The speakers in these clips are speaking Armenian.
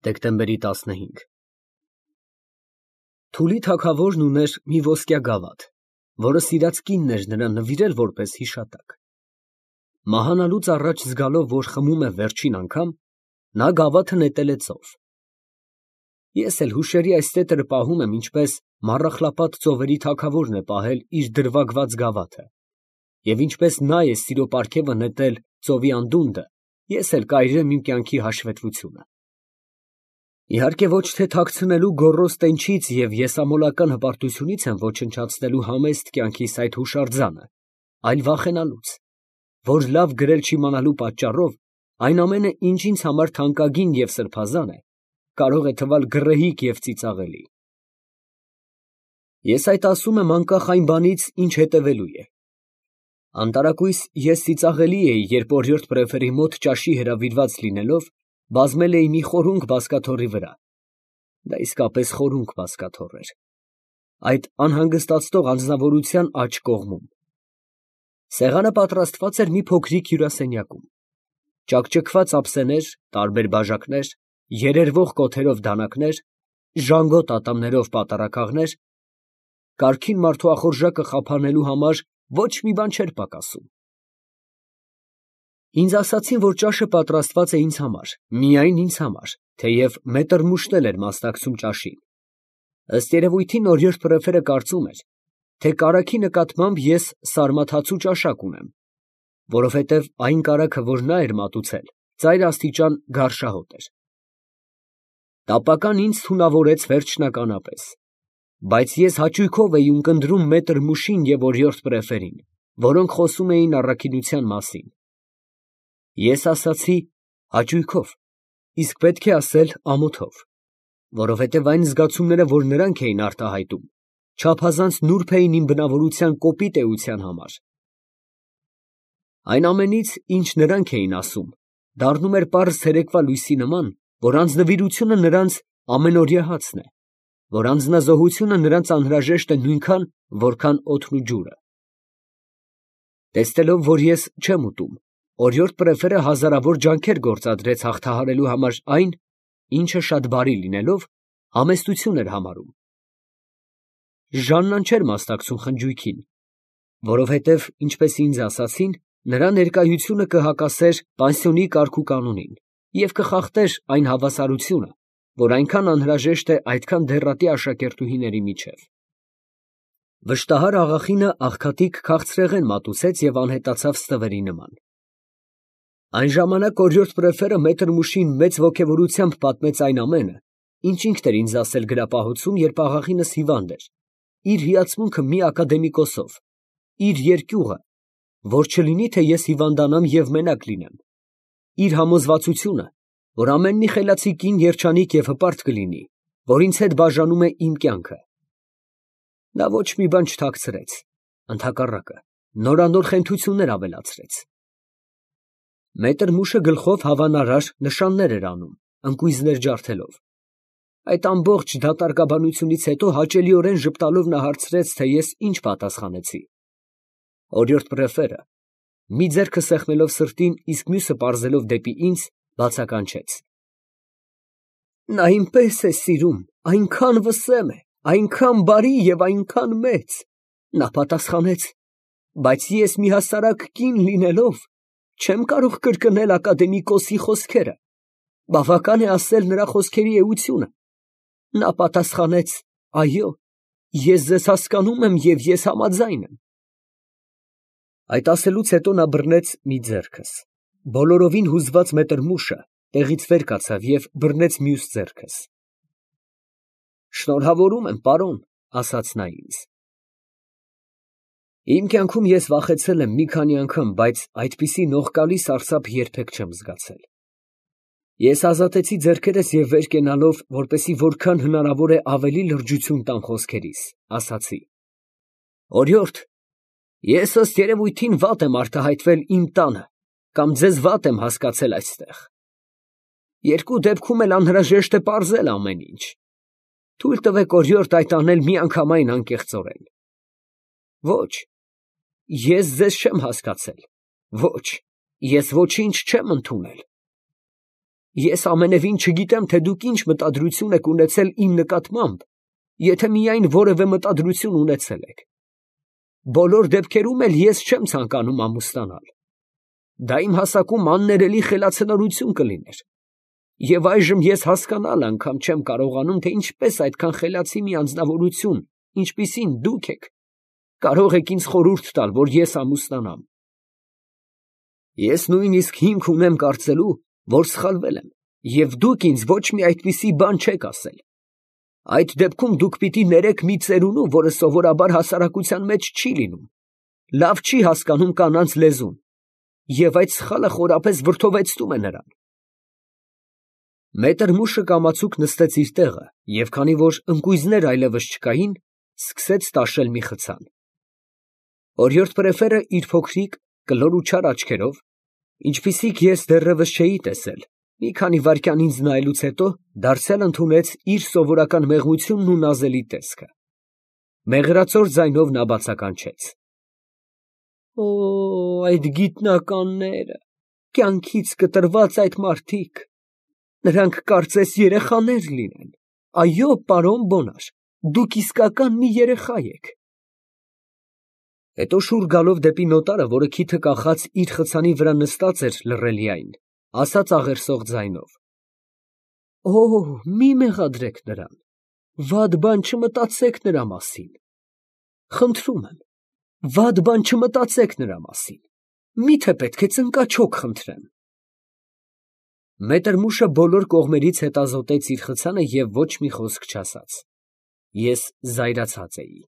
Դեկտեմբերի 15 Թուլի թագավորն ուներ մի ոսկյա գավաթ, որը սիրած կինն էր նրան նվիրել որպես հիշատակ։ Մահանալուց առաջ զգալով, որ խմում է վերջին անգամ, նա գավաթը նետել է ծով։ Ես էլ հուշերի այս տետրը պահում եմ, ինչպես Մառախլապատ ծովերի թագավորն է պահել իր դրվագված գավաթը, և ինչպես նա է սիրո պարգևը նետել ծովի անդունդը, ես էլ կայրեմ իմ կյանքի հաշվետվությունը։ Իհարկե ոչ թե թաքցնելու գոռոզ տենչից և եսամոլական հպարտությունից եմ ոչնչացնելու համեստ կյանքիս այդ հուշարձանը, այլ վախենալուց, որ լավ գրել չիմանալու պատճառով այն ամենը, ինչ ինձ համար թանկագին և սրբազան է, կարող է թվալ գռեհիկ և ծիծաղելի։ Ես այդ ասում եմ անկախ այն բանից, ինչ հետևելու է։ Անտարակույս ես ծիծաղելի էի, երբ օրիորդ պրեֆերի մոտ ճաշի հրավիրված լինելով, բազմել էի մի խորունկ բազկաթոռի վրա, դա իսկապես խորունկ բազկաթոռ էր, այդ անհանգստացնող անձնավորության աջ կողմում։ Սեղանը պատրաստված էր մի փոքրիկ հյուրասենյակում, ճաքճքված ափսեներ, տարբեր բաժակներ, երերվող կոթերով դանակներ, ժանգոտ ատամներով պատառաքաղներ, կարգին մարդու ախորժակը խափանելու համար ոչ մի բան չէր պակասում։ Ինձ ասացին, որ ճաշը պատրաստված է ինձ համար, միայն ինձ համար, թեև Մետրմուշն էլ էր մասնակցում ճաշին։ Ըստ երևույթին օրիորդ պրեֆերը կարծում էր, թե կարագի նկատմամբ ես սարմաթացու ճաշակ ունեմ, որովհետև այն կարագը, որ նա էր մատուցել, ծայրաստիճան գարշահոտ էր։ Տապական ինձ թունավորեց վերջնականապես, բայց ես հաճույքով էի ունկնդրում Մետրմուշին և օրիորդ պրեֆերին, որոնք խոսում էին առաքինության մասին։ Ես ասացի հաճույքով, իսկ պետք է ասել ամոթով, որովհետև այն զգացումները, որ նրանք էին արտահայտում, չափազանց նուրբ էին իմ բնավորության կոպիտ էության համար։ Այն ամենից, ինչ նրանք էին ասում, դառնում էր պարզ ցերեկվա լույսի նման, որ անձնվիրությունը նրանց ամենօրյա հացն է, որ անձնազոհությունը նրանց անհրաժեշտ է նույնքան, որքան օդն ու ջուրը։ Տեսնելով, որ ես չեմ ուտում, օրիորդ պրեֆերը հազարավոր ջանքեր գործադրեց հաղթահարելու համար այն, ինչը շատ բարի լինելով, համեստություն էր համարում։ Ժաննան չէր մասնակցում խնջույքին, որովհետև, ինչպես ինձ ասացին, նրա ներկայությունը կհակասեր պանսիոնի կարգուկանոնին և կխախտեր այն հավասարությունը, որ այնքան անհրաժեշտ է այդքան դեռատի աշակերտուհիների միջև։ Վշտահար աղախինը աղքատիկ քաղցրեղեն մատուցեց և անհետացավ ստվերի նման։ Այն ժամանակ օրիորդ պրեֆերը Մետրմուշին մեծ ոգևորությամբ պատմեց այն ամենը, ինչ ինքն էր ինձ ասել գրապահոցում, երբ աղախինս հիվանդ էր, իր հիացմունքը մի ակադեմիկոսով, իր երկյուղը, որ չլինի, թե ես հիվանդանամ և մենակ լինեմ, իր համոզվածությունը, որ ամեն մի խելացի կին երջանիկ և հպարտ կլինի, որ ինձ հետ բաժանում է իմ կյանքը։ Նա ոչ մի բան չթաքցրեց, ընդհակառակը, նորանոր խենթություններ ավելացրեց։ Մետրմուշը գլխով հավանարար նշաններ էր անում, ընկույզներ ջարդելով։ Այդ ամբողջ դատարկաբանությունից հետո հաճելիորեն ժպտալով նա հարցրեց, թե ես ինչ պատասխանեցի։ Օրիորդ պրեֆերը, մի ձեռքը սեղմելով սրտին, իսկ մյուսը պարզելով դեպի ինձ, բացականչեց. նա ինպես է սիրում, այնքան վսեմ է, այնքան բարի և այնքան մեծ։ Նա պատասխանեց. բայց ես մի հասարակ կին լինելով, չեմ կարող կրկնել ակադեմիկոսի խոսքերը, բավական է ասել նրա խոսքերի էությունը։ Նա պատասխանեց. այո, ես ձեզ հասկանում եմ և ես համաձայն եմ։ Այդ ասելուց հետո նա բռնեց մի ձեռքս, բոլորովին հուզված Մետրմուշը տեղից վեր կացավ և բռնեց մյուս ձեռքս։ Շնորհավորում եմ, պարոն, ասաց նա ինձ։ Իմ կյանքում ես վախեցել եմ մի քանի անգամ, բայց այդպիսի նողկալի սարսափ երբեք չեմ զգացել։ Ես ազատեցի ձեռքերս և վեր կենալով, որպեսզի որքան հնարավոր է ավելի լրջություն տամ խոսքերիս, ասացի. օրիորդ, ես ըստ երևույթին վատ եմ արտահայտվել իմ տանը կամ ձեզ վատ եմ հասկացել այստեղ։ Երկու դեպքում էլ անհրաժեշտ է պարզել ամեն ինչ։ Թույլ տվեք, օրիորդ, այդ անել միանգամայն անկեղծորեն։ Ոչ, ես ձեզ չեմ հասկացել, ոչ, ես ոչինչ չեմ ընդունել։ Ես ամենևին չգիտեմ, թե դուք ինչ մտադրություն եք ունեցել իմ նկատմամբ, եթե միայն որևէ մտադրություն ունեցել եք։ Բոլոր դեպքերում էլ ես չեմ ցանկանում ամուսնանալ։ Դա իմ հասակում աններելի խելացնորություն կլիներ։ Եվ այժմ ես հասկանալ անգամ չեմ կարողանում, թե ինչպես այդքան խելացի մի անձնավորություն, ինչպիսին դուք եք, կարող եք ինձ խորհուրդ տալ, որ ես ամուսնանամ։ Ես նույնիսկ հիմք ունեմ կարծելու, որ սխալվել եմ, և դուք ինձ ոչ մի այդպիսի բան չեք ասել։ Այդ դեպքում դուք պիտի ներեք մի ծերունու, որը սովորաբար հասարակության մեջ չի լինում, լավ չի հասկանում կանանց լեզուն, և այդ սխալը խորապես վրդովեցնում է նրան։ Մետր մուշը կամացուկ նստեց իր տեղը և քանի որ ընկույզներ այլևս չկային, սկսեց տաշել մի խցան։ Օրիորդ Պրեֆերը իր փոքրիկ, կլոր ու չար աչքերով, ինչպիսիք ես դեռևս չէի տեսել, մի քանի վայրկյան ինձ նայելուց հետո դարձյալ ընդունեց իր սովորական մեղմությունն ու նազելի տեսքը։ Մեղրացոր ձայնով նա բացականչեց. «Օ, այդ գիտնականները, կյանքից կտրված այդ մարդիկ, նրանք կարծես երեխաներ լինեն։ Այո, պարոն Բոնար, դուք իսկական մի երեխա եք»։ Հետո շուռ գալով դեպի նոտարը, որը քիթը կախած իր խցանի վրա նստած էր լռելիայն, ասաց աղերսող ձայնով. «Օ, մի մեղադրեք նրան, վատ բան չմտածեք նրա մասին։ Խնդրում եմ, վատ բան չմտածեք նրա մասին, միթե պետք է ծնկաչոք խնդրեմ»։ Մետր մուշը բոլոր կողմերից հետազոտեց իր խցանը և ոչ մի խոսք չասաց։ Ես զայրացած էի։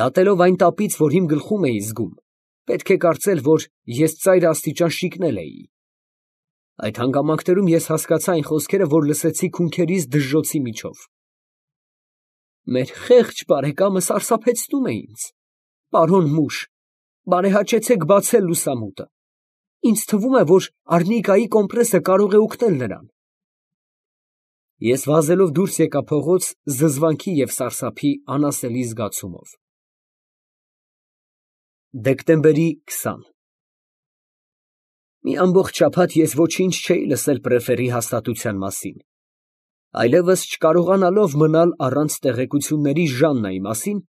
Դատելով այն տապից, որ իմ գլխում էի զգում, պետք է կարծել, որ ես ծայր աստիճան շիկնել էի։ Այդ հանգամանքներում ես հասկացա այն խոսքերը, որ լսեցի քունքերիս դժժոցի միջով։ Մեր խեղճ բարեկամը սարսափեցնում է ինձ։ Պարոն մուշ, բարեհաճեցեք բացել լուսամուտը։ Ինձ թվում է, որ արնիկայի կոմպրեսը կարող է օգնել նրան։ Ես վազելով դուրս եկա փողոց զզվանքի և սարսափի անասելի զգացումով։ Դեկտեմբերի 20 Մի ամբողջ շաբաթ ես ոչինչ չէի լսել Պրեֆերի հաստատության մասին, այլևս չկարողանալով մնալ առանց տեղեկությունների Ժաննայի մասին,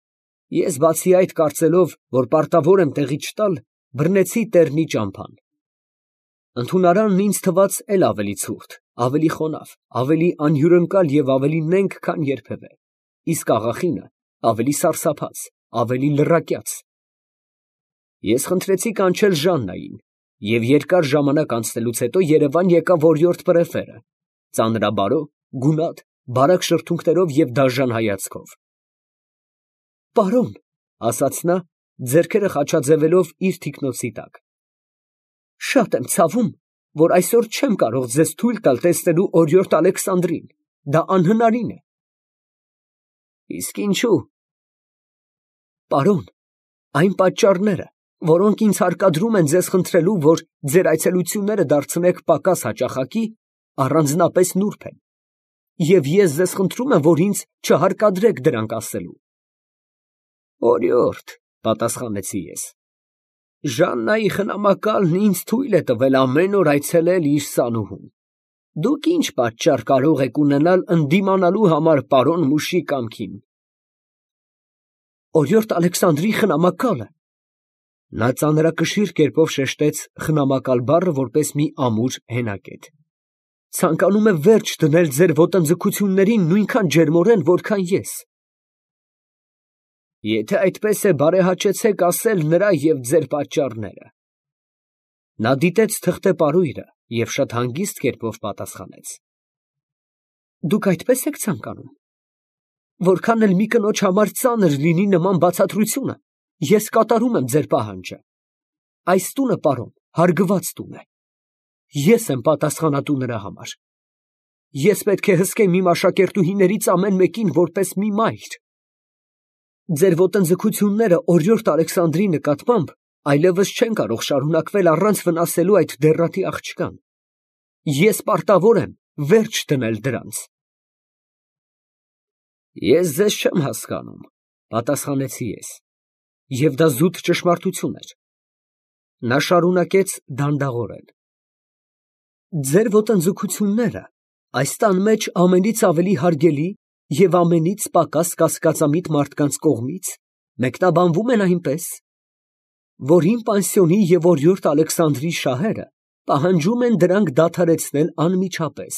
ես բացի այդ կարծելով, որ պարտավոր եմ տեղի չտալ, բռնեցի տեռնի ճամփան։ Ընդունարանն ինձ թվաց էլ ավելի ցուրտ, ավելի խոնավ, ավելի անհյուրընկալ և ավելի նենգ, քան երբևէ, իսկ աղախինը ավելի սարսափած, ավելի լռակյաց։ Ես խնդրեցի կանչել Ժաննային, և երկար ժամանակ անցնելուց հետո երևան եկավ օրիորդ Պրեֆերը, ծանրաբարո, գունատ, բարակ շրթունքներով և դաժան հայացքով։ Պարոն, ֊ ասաց նա, ձեռքերը խաչաձևելով իր թիկնոցի տակ, ֊ շատ եմ ցավում, որ այսօր չեմ կարող ձեզ թույլ տալ տեսնելու օրիորդ Ալեքսանդրին, դա անհնարին է։ Իսկ ինչո՞ւ։ Պարոն, այն պատճառները, որոնք ինձ հարկադրում են ձեզ խնդրելու, որ ձեր այցելությունները դարձնեք պակաս հաճախակի, առանձնապես նուրբ են, և ես ձեզ խնդրում եմ, որ ինձ չհարկադրեք դրանք ասելու։ Օրիորդ, ֊ պատասխանեցի ես, Ժաննայի խնամակալն ինձ թույլ է տվել ամեն օր այցելել իր սանուհուն։ Դուք ինչ պատճառ կարող եք ունենալ ընդդիմանալու համար պարոն մուշի կամքին։ Օրիորդ Ալեքսանդրի խնամակալը։ Նա ծանրակշիռ կերպով շեշտեց խնամակալ բառը որպես մի ամուր հենակետ։ Ցանկանում է վերջ դնել ձեր ոտնձգություններին նույնքան ջերմորեն, որքան ես։ Եթե այդպես է, բարեհաճեցեք ասել նրա և ձեր պատճառները։ Նա դիտեց թղթե պարույրը և շատ հանգիստ կերպով պատասխանեց. Դուք այդպես եք ցանկանում։ Որքան էլ մի կնոջ համար ծանր լինի նման բացատրությունը, ես կատարում եմ ձեր պահանջը։ Այս տունը, պարոն, հարգված տուն է։ Ես եմ պատասխանատու նրա համար։ Ես պետք է հսկեմ իմ աշակերտուհիներից ամեն մեկին որպես մի մայր։ Ձեր ոտնձգությունները օրիորդ Ալեքսանդրի նկատմամբ այլևս չեն կարող շարունակվել առանց վնասելու այդ դեռատի աղջկան։ Ես պարտավոր եմ վերջ դնել դրանց։ Ես ձեզ չեմ հասկանում, ֊ պատասխանեցի ես, և դա զուտ ճշմարտություն էր։ Նա շարունակեց դանդաղորեն. Ձեր ոտնձգությունները այս տան մեջ ամենից ավելի հարգելի և ամենից պակաս կասկածամիտ մարդկանց կողմից մեկնաբանվում են այնպես, որ իմ պանսիոնի և օրիորդ Ալեքսանդրի շահերը պահանջում են դրանք դադարեցնել անմիջապես։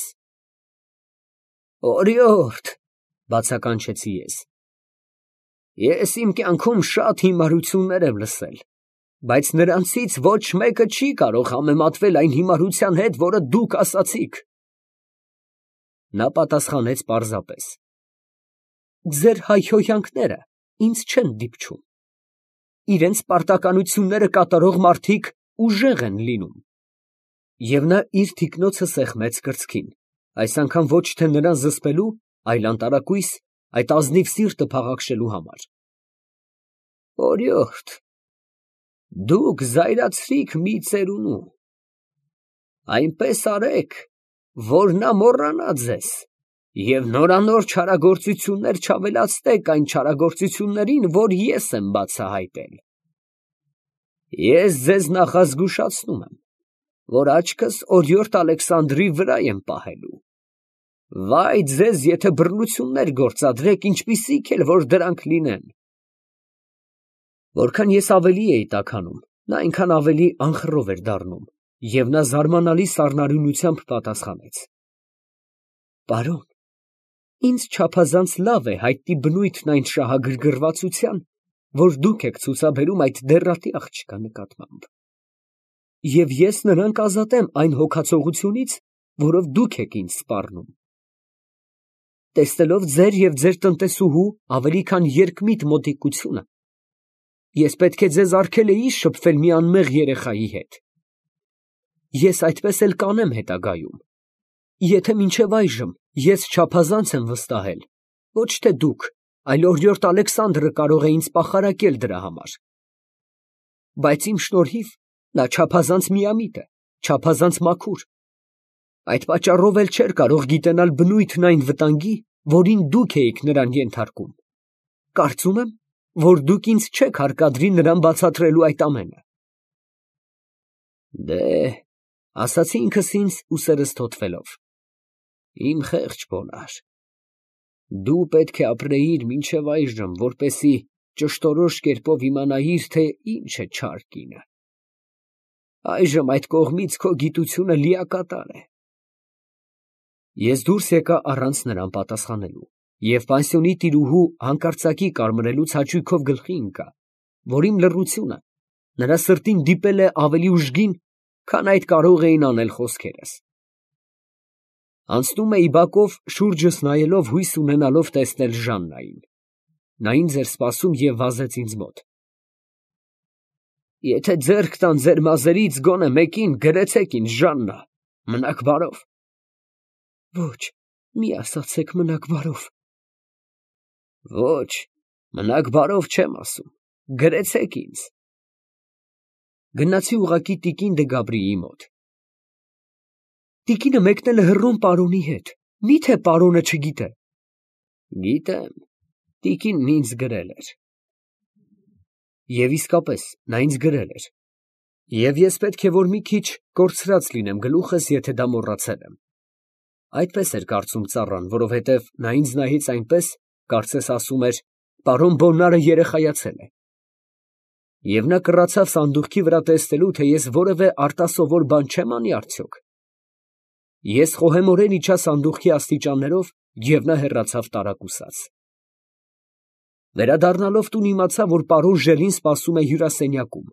Օրիորդ, բացականչեցի ես իմ կյանքում շատ հիմարություններ եմ լսել, բայց նրանցից ոչ մեկը չի կարող համեմատվել այն հիմարության հետ, որը դուք ասացիք։ Նա պատասխանեց պարզապես. ձեր հայհոյանքները ինձ չեն դիպչում, իրենց պարտականությունները կատարող մարդիկ ուժեղ են լինում։ Եվ նա իր թիկնոցը սեղմեց կրծքին, այս անգամ ոչ թե նրան զսպելու, այլ անտարակույս այդ ազնիվ սիրտը փաղաքշելու համար։ Օրիորդ, դուք զայրացրիք մի ծերունու, այնպես արեք, որ նա մոռանա ձեզ, և նորանոր չարագործություններ չավելացնեք այն չարագործություններին, որ ես եմ բացահայտել։ Ես ձեզ նախազգուշացնում եմ, որ աչքս օրիորդ Ալեքսանդրի վրա եմ պահելու։ Վայ ձեզ, եթե բռնություններ գործադրեք, ինչպիսիք էլ որ դրանք լինեն։ Որքան ես ավելի էի տաքանում, նա այնքան ավելի անխռով էր դառնում, և նա զարմանալի սառնարյունությամբ պատասխանեց. Պարոն, ինձ չափազանց լավ է հայտնի բնույթն այն շահագրգռվածության, որ դուք եք ցուցաբերում այդ դեռատի աղջկա նկատմամբ, և ես նրան կազատեմ այն հոգացողությունից, որով դուք եք ինձ սպառնում։ Տեսնելով ձեր և ձեր տնտեսուհու ավելի քան երկմիտ մոտիկությունը, ես պետք է ձեզ արգելեի շփվել մի անմեղ երեխայի հետ։ Ես այդպես էլ կանեմ հետագայում, եթե մինչև այժմ ես չափազանց եմ վստահել, ոչ թե դուք, այլ օրիորդ Ալեքսանդրը կարող է ինձ պախարակել դրա համար։ Բայց իմ շնորհիվ նա չափազանց միամիտ է, չափազանց մաքուր, այդ պատճառով էլ չէր կարող գիտենալ բնույթն այն վտանգի, որին դուք էիք նրան ենթարկում։ Կարծում եմ, որ դուք ինձ չեք հարկադրի նրան բացատրելու այդ ամենը։ Ասացի ինքս ինձ ուսերս թոթվելով, իմ խեղճ բոնար, դու պետք է ապրեիր մինչև այժմ, որպեսզի ճշտորոշ կերպով իմանայիր, թե ինչ է չար կինը։ Այժմ այդ կողմից քո գիտությունը լիակատար է։ Ես դուրս եկա առանց նրան պատասխանելու, և պանսիոնի տիրուհու հանկարծակի կարմրելուց հաճույքով գլխի ընկա, որ իմ լռությունը նրա սրտին դիպել է ավելի ուժգին, քան այդ կարող էին անել խոսքերս։ Անցնում էի բակով, շուրջս նայելով, հույս ունենալով տեսնել Ժաննային։ Նա ինձ էր սպասում և վազեց ինձ մոտ։ Եթե ձեռք տան ձեր մազերից գոնե մեկին, գրեցեք ինձ, Ժաննա, մնաք բարով։ Ոչ, մի ասացեք մնաք բարով։ Ոչ, մնաք բարով չեմ ասում, գրեցեք ինձ։ Գնացի ուղղակի տիկին դե Գաբրիի մոտ։ Տիկինը մեկնել է հռոմ պարոնի հետ, մի՞թե պարոնը չգիտե։ Գիտեմ, տիկինն ինձ գրել էր։ Եվ իսկապես, նա ինձ գրել էր։ Եվ ես պետք է որ մի քիչ կորցրած լինեմ գլուխս, եթե դա մոռացել եմ։ Այդպես էր կարծում ծառան, որովհետև նա ինձ նայեց այնպես, կարծես ասում էր. պարոն Բոննարը երեխայացել է։ Եվ նա կռացավ սանդուղքի վրա տեսնելու, թե ես որևէ արտասովոր բան չեմ անի արդյոք։ Ես խոհեմորեն իջա սանդուղքի աստիճաններով, և նա հեռացավ տարակուսած։ Վերադառնալով տուն իմացա, որ պարոն Ժելին սպասում է հյուրասենյակում։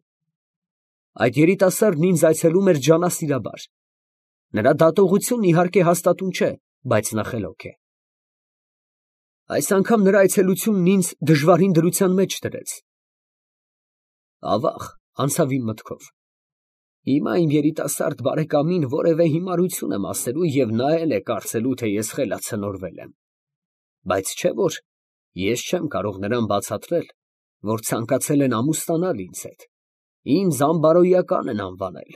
Այդ երիտասարդն ինձ այցելում էր ջանասիրաբար։ Նրա դատողությունն իհարկե հաստատուն չէ, բայց նա խելոք է։ Այս անգամ նրա այցելությունն ինձ դժվարին դրության մեջ դրեց։ Ավաղ անցավ իմ մտքով. հիմա իմ երիտասարդ բարեկամին որևէ հիմարություն եմ ասելու, և նա էլ է կարծելու, թե ես խելացնորվել եմ։ Բայց չէ՞ որ ես չեմ կարող նրան բացատրել, որ ցանկացել են ամուսնանալ ինձ հետ, ինձ անբարոյական են անվանել,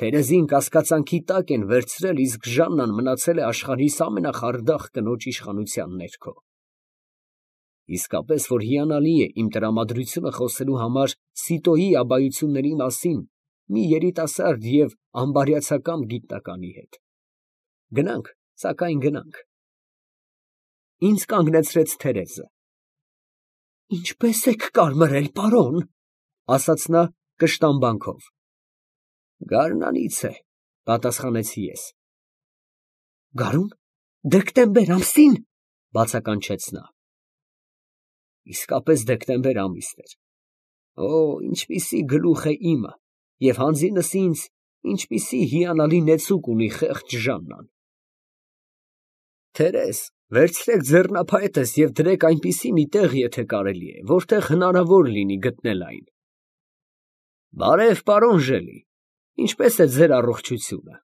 թերեզին կասկածանքի տակ են վերցրել, իսկ Ժաննան մնացել է աշխարհիս ամենախարդախ կնոջ իշխանության ներքո։ Իսկապես, որ հիանալի է իմ տրամադրությունը խոսելու համար Սիտոյի աբայությունների մասին, մի երիտասարդ և անբարյացակամ գիտնականի հետ։ Գնանք, սակայն գնանք։ Ինձ կանգնեցրեց Թերեզը։ Ինչպե՞ս եք կարմրել, պարոն, ասաց նա կշտամբանքով։ Գարնանից է, պատասխանեցի ես։ Գարուն, դեկտեմբեր ամսի՞ն, բացականչեց նա։ Իսկապես դեկտեմբեր ամիսն էր։ Օ, ինչպիսի գլուխ է իմը, և հանձինս ինձ ինչպիսի հիանալի նեցուկ ունի խեղճ Ժաննան։ Թերեզ, վերցրեք ձեռնափայտս և դրեք այնպիսի մի տեղ, եթե կարելի է, որտեղ հնարավոր լինի գտնել այն։ Բարև, պարոն Ժելի, ինչպե՞ս է ձեր առողջությունը։